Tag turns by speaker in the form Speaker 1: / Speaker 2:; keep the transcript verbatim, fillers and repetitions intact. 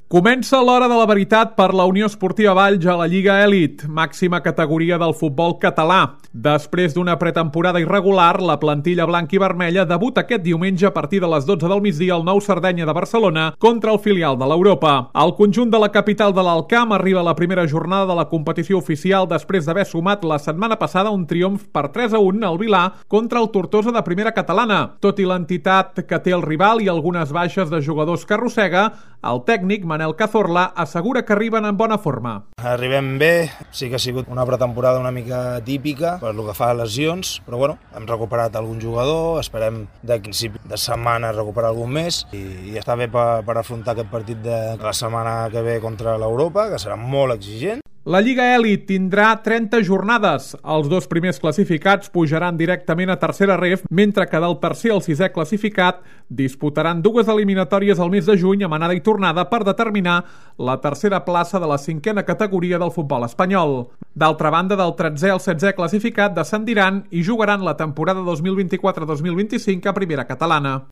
Speaker 1: Comença l'hora de la veritat per la Unió Esportiva Valls a la Lliga Elit, màxima categoria del futbol català. Després d'una pretemporada irregular, la plantilla blanca i vermella debuta aquest diumenge a partir de les dotze del migdia al Nou Sardenya de Barcelona contra el filial de l'Europa. El conjunt de la capital de l'Alcamp arriba a la primera jornada de la competició oficial després d'haver sumat la setmana passada un triomf per tres a un al Vilà contra el Tortosa de primera catalana. Tot i l'entitat que té el rival i algunes baixes de jugadors que arrossega, el tècnic Manel Cazorla assegura que arriben en bona forma.
Speaker 2: Arribem bé, sí que ha sigut una pretemporada una mica típica per lo que fa a lesions, però bueno, hem recuperat algun jugador, esperem de principi de setmana recuperar algun més i, i està bé per, per afrontar aquest partit de la setmana que ve contra l'Europa, que serà molt exigent.
Speaker 1: La Lliga Elit tindrà trenta jornades. Els dos primers classificats pujaran directament a tercera ref, mentre que del tercer al sisè classificat disputaran dues eliminatòries al mes de juny amb anada i tornada per determinar la tercera plaça de la cinquena categoria del futbol espanyol. D'altra banda, del tretzè al setzè classificat descendiran i jugaran la temporada dos mil vint-i-quatre dos mil vint-i-cinc a primera catalana.